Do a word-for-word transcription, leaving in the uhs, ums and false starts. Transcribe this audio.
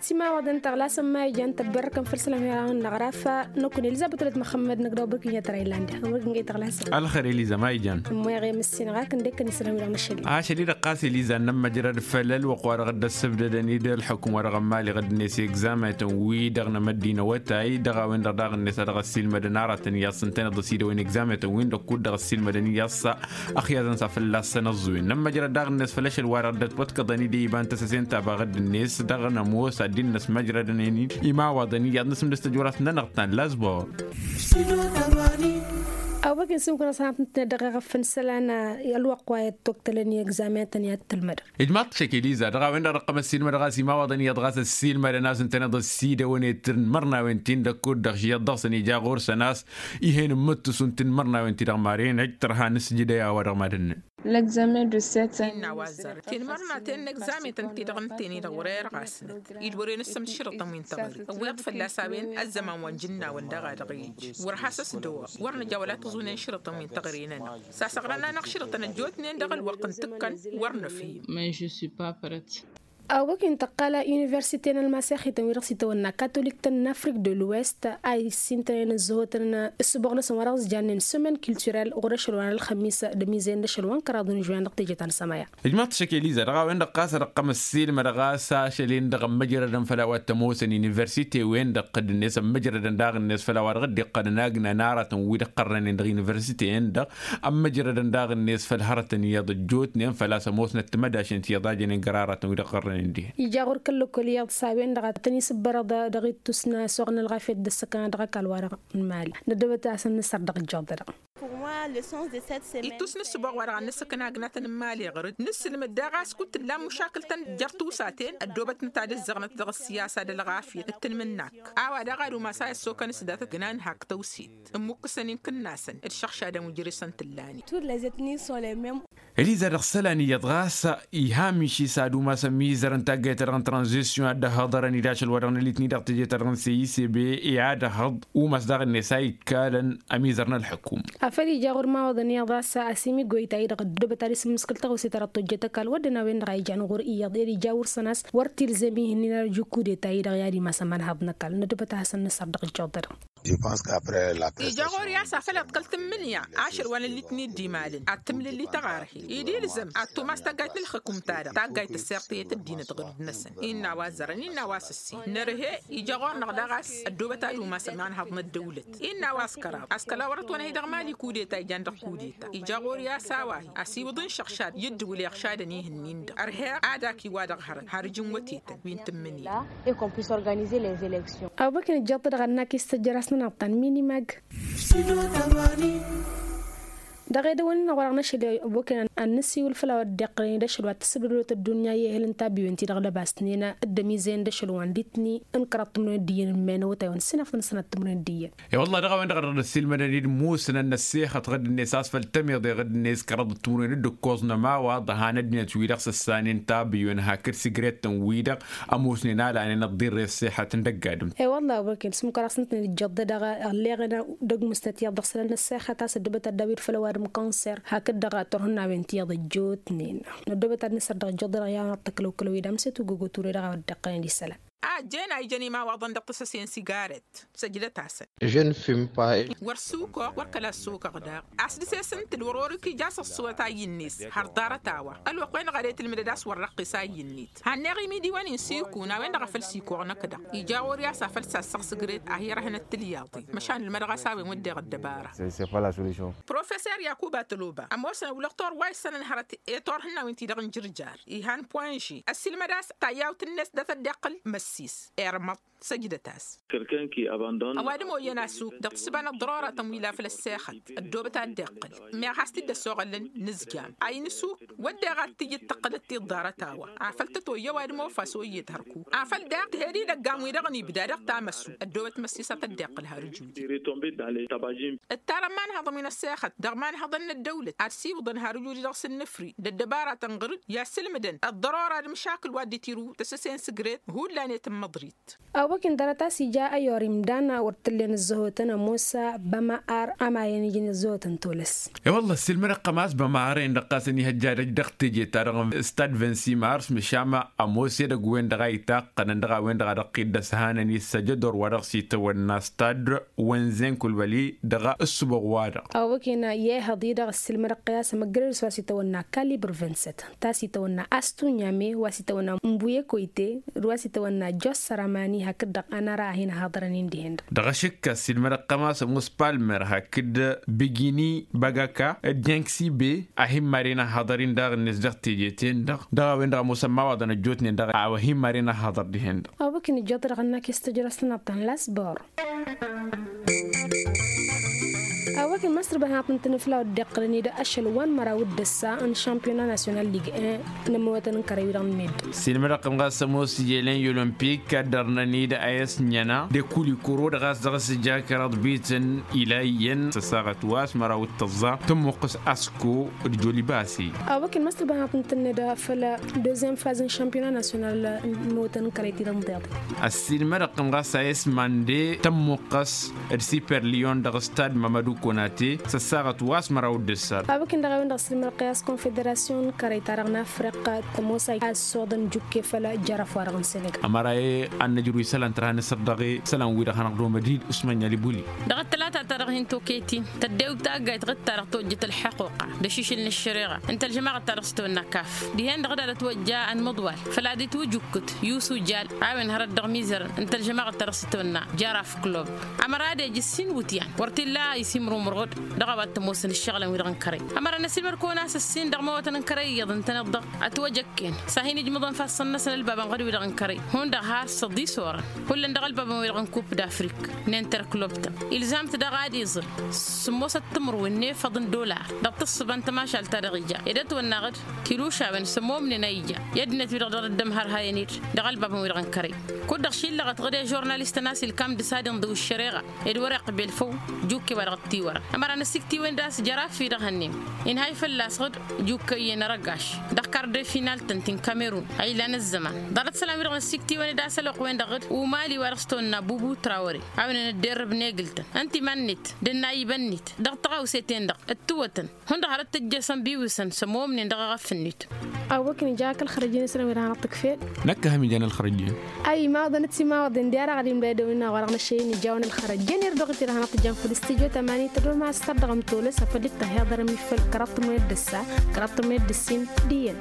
Timawaḍen tăɣlasăn ma ijan tăbberrăkăn făll-sălam i-ara n-năɣraf. Năkun elizabăt ulăt măxămmăd năgdăw băkǝn i-tăra illan de. Ălxer eliza ma ijan. Ămmoyăɣ i-măssin ɣakǝn dekăn isălan wi-dăɣ năšăli. Ašăl-i-dăɣ ɣas eliza n-nămmăjrăd făll-ălwăqq wa dăɣ-dd-ăssăbdădăn-dd ălxukǝm wa dăɣ-ămmali ɣǝdd-net i-egzamătăn-wi-dăɣ n-amăddin awătay dăɣ-a-wen-dăɣ daɣ-net a dăɣ-ăssiilmădăn aratăn iyyăḍ s-ǝntăneḍ ăsidăwăn egzamătăn-win-dăɣ kud-dăɣ ăssiilmădăn iyyăḍ s-axyaẓăn s-afălla ăssănăẓẓuwen n-ămmăjrăd daɣ-net făll-ašăl wa dăɣ-dd-ătwătkăḍăn-dd i-iba n-tăsăse n-taba ɣǝdd-net dăɣ-nămoos ad-dd-năsmăjrădăn-in imawaḍăn iyyăḍ n-asǝmdǝs tăjorasăn-nănăɣ ta n-lazbor. Awăken s-imkun ăṣṣanăt n-tine dăɣ-eɣăf n-isălan ălwăqq wa i-ăttwăktălăn i-egzamintăn i-ad-tǝlmădăɣ. Ijmaḍ-t šăk eliza dăɣ-a-wen-dăɣ dăɣ-tămăssiilmădăɣ a-s imawaḍăn iyyăḍ ɣas ăssiilmădăn a-s ǝntăneḍ ăsidăwăn i-tǝrn mărnawen-tin-dăɣ kud-dăɣ š-iyyăḍ dăɣ-săn ija ɣur-săn a-s. Ih'-en n-imǝttǝs unti n-imărnawen-ti-dăɣ maren ăj tărha n-asǝjǝdăy a-wa dăɣ-mad-ǝnnăn. Innă a-wa ăzzarăn tinmărnaten n-egzametăn-ti-dăɣ ǝnten-i-dăɣ wăr-e ărɣasnăt-dd wăren ǝssǝm d-išrǝṭăn wi n-teɣăre ǝwweḍ fălla-s a-wen ăzzăman wa n-jǝnnawăn dăɣ-a dăɣ-e ija wăr has-ăsdăwăɣ wăr nǝja wăla tăẓunen išrǝṭăn wi n-teɣăre-nănăɣ. S-asăɣrăn-anăɣ išrǝṭăn ăjjootnen dăɣ-ălwăqq n-tǝkkăn wăr nǝfhim. Awăken tăqqal universite n-ălmasexităn wi-dăɣ s-itawănna katolik-tăn n-afrik de l'ouest a issintănen ǝzzăhotăn ǝssǝboɣ-năsăn wa dăɣ-s jannen sămen culturel ɣur-ašăl wa n-ălxămis d-ămizen d-ašăl wa n-kăraḍ n-žuwen dăɣ-teje ta n-sămaya. Ijmaḍ-t šăk eliza dăɣ-a-wen-dăɣ ɣas ad-ăqqăm ăssiilmădăɣ a-s ašăl-en-dăɣ ămmăjrădăn făll-a-wa t-ămoosăn universite-wen-dăɣ dd-net ămmăjrădăn daɣ-net făll-a-wa dăɣ-dd-iqqălăn agna n-aratăn wi dd-iqqărrănen dăɣ-universite-en-dăɣ ămmăjrădăn daɣ-net făll-hărătăn iyyăḍ ăjjootnen făl-a-s ămoosnăt timădašen ti iyyăḍ a jănen găr-aratăn wi dd-iqqărrănen dihen. Ija ɣur-kăl-lăkkol iyyăḍ s-a-wen-dăɣ a tăn-isǝbbărăḍ dăɣ-ittus n-asuɣ n-ălɣafyăt d-ăssăkăna dăɣ-ăkall-wa-dăɣ n-imali năddobăt a-s ad-nǝssăr dăɣ-ǝjjuḍădăɣ. Ittus n-ǝssǝboɣ wa dăɣ-ad-nǝsǝkna agnatăn n-imali ɣur-dd nǝsǝlmǝd daɣ a-s kud-tǝllan mušakǝl-tăn jer-tusaten ăddoobătnăt ad-ǝzzăɣnăt dăɣ-ăssiyasa d-ălɣafyăt d-tanmǝnnakt a-wa daɣ ad-umas a i-ăssokăn s-datăt gnan hak tăwsit ǝmmukkǝsăn inkǝnnasăn d-išăɣšadăn wi jere-săn tǝllanen. Eliza dăɣ-isălan iyyăḍ ɣas iha miši s-ad-umas ămizărăn taggayt-ta-dăɣ n-tranzisyon ad-dd-ăhhăḍărăn-dd ašăl wa dăɣ-nălit-ni-dăɣ teje-ta-dăɣ n-seyisebe i-ad-ăhhăḍ umas daɣ-net a ikkalăn ămizăr n-ălḥăkum. Afăl ija ɣur-imawăḍăn iyyăḍ a-s asimi goyta-i-dăɣ ăddoobăt ad-isǝmmǝskǝl tăɣose ta dăɣ-tojjăt ăkall wădden a-wen-dăɣ a ijan ɣur-i iyyăḍ ed ija wăr-săn a-s wăr t-ilzem ih'-ǝnnin ad-ăj ikudeta-i-dăɣ i-ad-imas ămanhaḍ n-ăkall năddobăt a hasăn-nǝsăr dăɣ-ǝjjuḍădăɣ. Ija ɣur-i a-s afăl iḍkăl tǝmmǝnǝya ašăl wa n-ăllit-ni dd-imalăn ad-tǝmlǝlli taɣarhe ed ilzăm ad-tumas taggayt n-ǝlxǝkum-ta-dăɣ taggayt ăssirtăyăt ăddinăt ɣǝrǝd-năsăn. Innă a-wa ăzzărăn innă a-wa s-ǝssin nărhe ija ɣur-năɣ daɣ a-s ăddoobăt ad-umas ămanhăḍ n-ăddăwlăt. Innă a-wa s-kăraḍ a-s kăla wăr-ătwănhăy dăɣ-mali kudeta ijan dăɣ-kudeta ija ɣur-i a-s a-wa-hi ăsiwǝḍ n-išăɣšad i-ǝddǝwǝl iɣšadăn ih'-ǝnnin-dăɣ ărhe ad-ak iwa dăɣ-hărăt har ǝjǝn wătetăn wi n-tǝmmǝnǝy. Abăken ǝjjăḍ-t dăɣ-annak istăjjăr-as n-anăɣ ta n-minimag. Dăɣ-edăwăn-nănăɣ wa dăɣ-năšăl abăken ad-năsiwǝl făll-a-wa dd-iqqălăn-dd ašăl wa t-tǝssǝbdădăwăt ăddunya i-ehǝl n-tabiwen-ti-dăɣ lăbas-tinen d-ămizăyăn d-ašăl wa n-ditni n-kăraḍ timǝrwen d-iyyăn n-immănăwăt a iwăn sǝnafăt n-sănat timǝrwen d-iyyăn. E-wălla dăɣ-a-wen-dăɣ dăɣ-dd-ăssiilmădăn-dd musǝnăn n-ăssexăt ɣǝdd-net a-s făl tămiḍe ɣǝdd-net kăraḍăt timǝrwen d-ǝkkoẓ n-ămawaḍ ăhanăt-net wi-dăɣ săssanen tabiwen hakd sigret-tăn-wi-dăɣ ămoosnen alanen ăḍḍirre ăṣṣeḥăt n-dăgg-adǝm. E-wălla a-wa băken s-mukăraɣ s-nǝtnăt ǝjjăḍ-dăɣ ălleɣăn dăgg-musnăt iyyăḍ dăɣ-isălan n-ăṣṣeḥăt a-s ăddobăt ad-dawǝy d-făll-ăwadǝm kanser hakd-dăɣ turhǝnnawen ti iyyăḍ ăjjootnen. Năddobăt ad-nǝsăr dăɣ-ijjăḍ-dăɣ i-anăɣ tăklăwkălăw-i d-amsăt ugǝgutǝwre dăɣ-a-wa dd-iqqălăn d-isălan. A ăjjeen a ijăn imawaḍăn dăɣ-tăsăse n-sigaret săjdăt-asăn. Wăr sukoɣ wăr kăla ăssokăɣ daɣ. A-s dăɣ-s esǝntǝl wăr-orǝk ija s-ăṣṣuwăt a iyyǝn-net har ḍarăt-a-wa ălwăqq-wen-dăɣ a dd-tǝlmǝdăd a-s wăr răqqis a iyyǝn-net. Hanneɣ imidiwăn-in s-ikun a-wen-dăɣ a făl s-ikoɣ năkk-dăɣ ija ɣur-i a-s afăl sassăɣ sǝgret a hi-ărhănăt tǝlyaḍe. Măšan ǝlmădăɣ a-s a-wen wădden ăddăbara. Professer yakuba tăloba ămoosăn ăwlăɣ tor wa issănăn hărăt i-turhǝnna wi n-ti-dăɣ n-jǝrjar ihan poinži ăssiilmăd a-s tayyawt-net dat-ăddiqqǝl măssis. Irmăḍ săjdăt-as. Ăwadǝm oyyăn asuk dăɣ-tǝssǝba n-ăḍḍăroratăn wi la făl ăssexăt ăddoobăt a dd-iqqǝl. Meɣ has-t-dd-ăsoɣălăn nǝzjam a inǝsuk wădden ad-t-ǝjǝd tăqqǝlăt ti-ăḍḍarăt a-wa afăl tăt-oyya ăwadǝm ofa s-oyyed hărku afăl daɣ tǝhed idăggan-wi-dăɣ n-ibda dăɣ-tamăsu ăddoobăt măssisăt ad-dd-iqqǝl har ǝjudi. Ǝttarăn imanhăḍăn wi n-ăssexăt dăɣ-imanhăḍăn n-ăddăwlăt ad-siwǝḍăn har ǝjudi dăɣ-sǝnnǝfri d-ăddăbaratăn ɣǝr-dd i-ad-sǝlmǝdăn ăḍḍărora d-imšakǝl wa dd-itiru tăsăse n-sǝgret hullan. N-măḍrit. Awăk-in dăr-t a-s ija ăyyor imdan wăr t-tǝllen ǝzzăhotăn ămoos bămăr amayăn ijăn ǝzzăhotăn tolăs. E-wălla ăssiilmădăɣ-tăn a-s bămăr-en-dăɣ ɣas ănihăjja dăɣ-teje-ta-dăɣ n-stad vingt-six mars măšan ămoos edăgg-wen-dăɣ a itaqqănăn dăɣ-a-wen-dăɣ a dăɣ-t-dd-ăshănăn i-săjădor wa dăɣ-s itawănna stad wenzen kulbăli dăɣ-ǝssǝboɣ-wa-dăɣ. Awăk-in i-ehăḍ-i-dăɣ ăssiilmădăɣ-t a-s ămăggărăd s-wa s-itawănna kalibr vingt-sept ta s-itawănna astunyame wa s-itawănna mbuye koyte d-wa s-itawănna jos săramani hakd-dăɣ ănara a hin-ăhaḍărăn-in dihen-dăɣ. Dăɣ-ašǝkka s-ilmădăɣ-tăn a-s ămoos palmer hakd bigini băgăka d-jenksi be a hin-mad-in ăhaḍăr-in daɣ-net dăɣ-teje-ten-dăɣ dăɣ-a-wen-dăɣ ămoosăn imawaḍăn ăjjootnen dăɣ-a-wa hin-mad-in ăhaḍăr dihen-dăɣ. Awăk-in ǝjjăḍ-dăɣ ănnak i-s tǝjrăst n-aḍḍan la s-bor. Awăk n-măsr băhănăt n-tǝnǝfla wăr dd-iqqălăn-dd ašăl wa n-măraw d-ăssa n-šampiyona nasyonal lig-en n-ămmăwătăn n-kărăy-wi-dăɣ n-meddǝn. S-inmădăɣ-tăn ɣas ămoos ijelăn i-olămpik ad-dărnăn-dd a i-s ǝnjăna de kulikuro dăɣ-a-s dăɣ-s ija kăraḍ bităn ila iyyăn s-ăssaɣăt wa s-măraw d-tăẓẓa tămmuqqǝs asko d-joli basi. Awăk n-măsr băhănăt n-tǝnned făll-deuxième phase n-šampiyona nasyonal n-ămmăwătăn n-kărăy-ti-dăɣ n-tiḍe. Ăssiilmădăɣ-tăn ɣas a i-s mande tămmuqqăs d-super lion dăɣ-stad mamădu konate s-ăssaɣăt wa s-măraw d-ǝssar. Awăk-in-dăɣ a-wen-dăɣ ăssiilmădăɣ-t i-a-s konfederasyon n-kărăy-ta-dăɣ n-afriq tămoos a ăssoḍăn jukke făll-jăraf-wa-dăɣ n-senegal. Ămăra e ad-nǝjrǝw isălan tărha n-asăr dăɣ-e isălan-wi-dăɣ hanăɣ-dd-omăd-dd usman yalibuli. Dăɣ-ăttălata-ta-dăɣ hin-tokăyt-in tăddew taggayt ɣǝd-ta-dăɣ tojjăt ălxăquqa d-ašišǝl n-ăššăreɣa n-tălžămaɣăt-ta-dăɣ s-tăwănna kaf dihen-dăɣ d-ad-ătwăjja ănmăḍwal făl ad-itwǝjǝkkǝt yusu jal a-wen hărăt dăɣ-mizărăn n-tălžămaɣăt-ta-dăɣ s-tăwănna jaraf club. Ămăra ad-ej ǝssin iwǝtyan wăr t-illa isimrǝw mărɣǝd dăɣ-a-wa t-ămoosăn ǝššăɣǝlăn-wi-dăɣ n-kărăy. Ămăra n-ăsiilmăd-kăwăn a-s ǝssin dăɣ-imawătăn n-kărăy iyyăḍ ǝntăneḍ-dăɣ ătwăjăkken s-ad-hin-ǝjmǝḍăn ifassăn-năsăn ălbabăn ɣǝd-wi-dăɣ n-kărăy hundăɣ har s-ăḍis orăn. Hullan dăɣ-ălbabăn-wi-dăɣ n-kup d-afrik n-interklub-tăn ilzam-t daɣ ad-iẓǝl sǝmmosăt timǝrwen n-efăḍ n-dollar dăɣ-tǝssǝba n-tămašalt-ta-dăɣ ija ed ătwănna ɣǝd tilušawen s-ămmomnen a ija i-ăddinăt-wi-dăɣ dăɣ-dd-ămhărhayăn-dd dăɣ-ălbabăn-wi-dăɣ n-kărăy. Kud-dăɣ šillăɣăt ɣǝd i-žurnalistăn a-s ilkam d-isad inḍǝw ăššăreɣa ed wăr-iqbel făw jukke wa dăɣ-t-iwărăn. Ămăra n-ăsiktiwen d-a-s jărafi dăɣ-hănnen inhay fălla-s ɣǝd jukkăyyen arăgaš dăɣ-karde final-tăn ti n-kamerun a ilan ăzzăman. Ḍarăt isălan-wi-dăɣ n-ăsiktiwen d-a-s ălwăqq-wen-dăɣ ɣǝd umali wa dăɣ-s tăwănna bubu trawăre a-wen ănădderrăb n-egǝl-tăn ǝnta iman-net d-ănnayibăn-net dăɣ-tăɣawse-ten-dăɣ ǝttǝwătăn hundăɣ hărăt tǝjjăsăn biwǝsăn s-ămoomnen dăɣ-aɣăf-net. Awwăk nǝja kăl-xărăjjăn isălan wi-dăɣ hanăɣ-tǝkfel. Năkk a ham ijan ălxărăjjăn. Ay imawaḍăn ad-t-imawaḍen d-i-ad-aɣ ad-imdăydăwăn-in-dăɣ wa dăɣ-năššăyăn ijawen ălxărăjjăn irduɣ-t i-dăɣ hanăɣ-t-jan făll-stujo tămani tădoma s-tărdăɣăm tolăs afăl dd-tăhiḍărăm ifăl kăraḍ tămăyăt d-ăssa kăraḍ tămăyăt d-ǝssin. D-iyyăn.